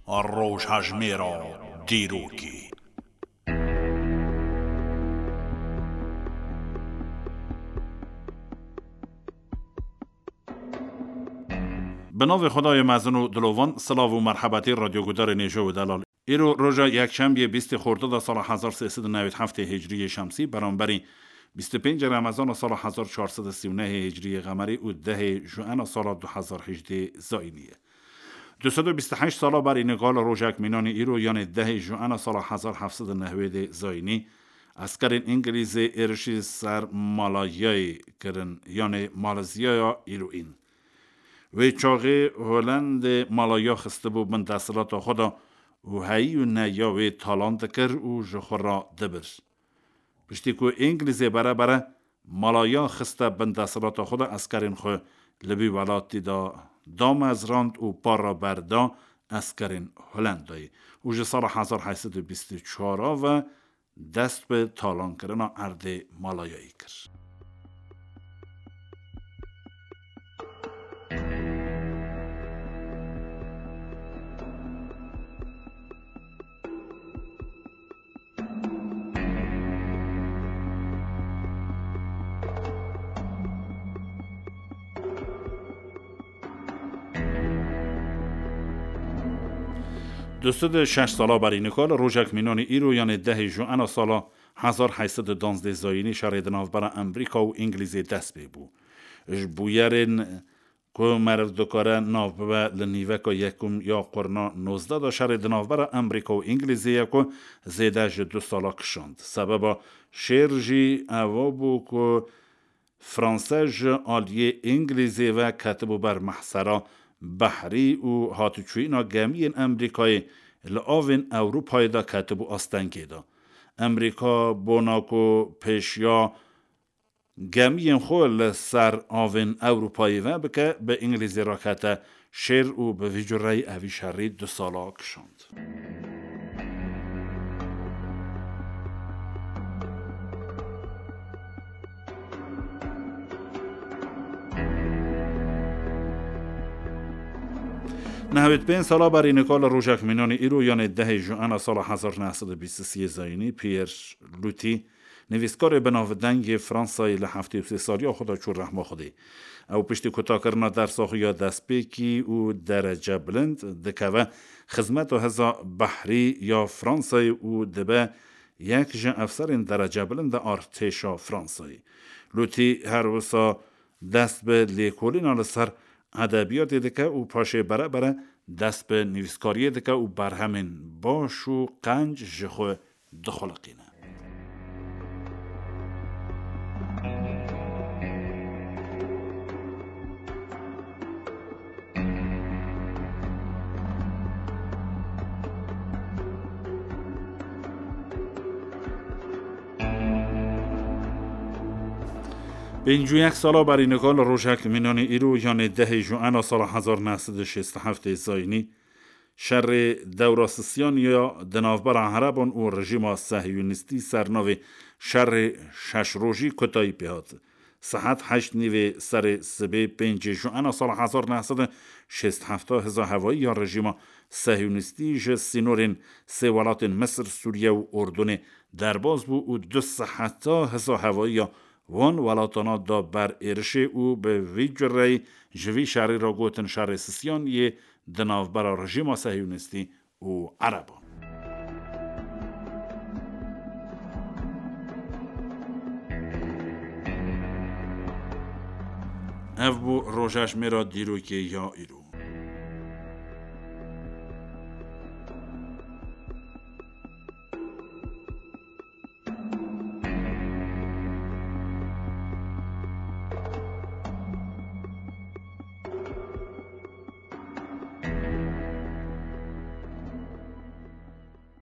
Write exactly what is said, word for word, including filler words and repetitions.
Rojhejmêra dîrokê. Bi navê Xwedayê mezin û dilovan, silav û merhebetî radyogudarên hêja û delal. Îro roja yekşembiyê bîstê Xordada sala hezar sê sed û newêd heftê hicriyê şemsî, beramberî bîst û pêncê Remezana sala hezar çar sed û sî û nehê hicriyê qemerî û dehê Juena sala du hezar hejdê zayînî ye. Du sed û bîst û heşt sala berî niqal rojek mînanî îro, yanê dehê Juena sala hezar heft sed û newêdê zayînî, eskerên Îngilîzê êrişî ser Malayayê kirin, yanê Malezyaya îroîn. Wê çaxê Holendê Malaya xistibû bin desthilata xwe de û heyî û neya wê talan dikir û ji xwe re dibir. Piştî ku Îngilîzê bere bere Malaya xiste bin desthilata xwe de, eskerên xwe li vî welatî de damezrand û para berda eskerên Holendayê û ji sala hezar heşt sed û bîst û çar ve dest bi talankirina erdê Malayayê kir. Du sed û şeş sala berî nika li rojek mînanî îro, yanê dehê Juena sala hezar heşt sed û duwazdeh zayînî, şerê di navbera Amerîka û Îngilîzê dest pê bû. Ji bûyerên ku meriv dikare nav bibe, li nîveka yekum ya qurna nozdeh de şerê di navbera Amerîka û Îngilîzê ye ku zêde ji du sala kişand. Sebeba şêr jî ewa bû ku Franse ji aliyê Îngilîzê ve ketibû ber mehsera behrî û hatûçûyîna gemiyên Amerîkayê li avên Ewropayê de ketibû astengê de. Amerîka bona ku pêşiya gemiyên xwe li ser avên Ewropayê ve bike, bi Îngilîzê re kete şêr û bi vî cureyî evî şerî du sala kişand. Nehwêd pênc sala berî nika li rojek mînanî îro, yanê dehê Juena sala hezar neh sed û bîst û sê zayînî, Pierre Loti, nivîskarê binavdeng yê Fransayê, li heftê û sê saliya xwe de çû rehma Xwedê. Ew piştî kutakirina dersa xwe ya destpêkî û derecebilind dikeve xizmeta hêza behrî ya Fransayê û dibe yek ji efserên derecebilind a artêşa Fransayê. Loti her wisa dest bi lêkolîna li ser edebiyatê dike û paşê bere bere dest bi nivîskariyê dike û berhemên baş û qenc ji xwe dixuliqîne. Pêncî û yek sala berî nika li rojek mînanî îro, yanê dehê Juena sala hezar neh sed û şêst û heftê zayînî, şerê dewra Sisyan ya di navbera Ereban û rejîma Sehyûnîstî ser navê Şerê Şeş Rojî kotayî pê hat. Sihet heşt nîvê serê sibê pêncê Juena sala hezar neh sed û şêst û heft hêza hewayî ya rejîma Sehyûnîstî ji sînorên sê welatên Misir, Sûriye û Urdunê derbas bû û du siheta hêza hewayî ya wan welatana da ber êrişê û bi vî cureyî ji vî şerî re gotin Şerê Sisyan yê di navbera rejîma Sehyûnîstî û Ereban. Ev bû rojhejmêra dîrokê ya îro.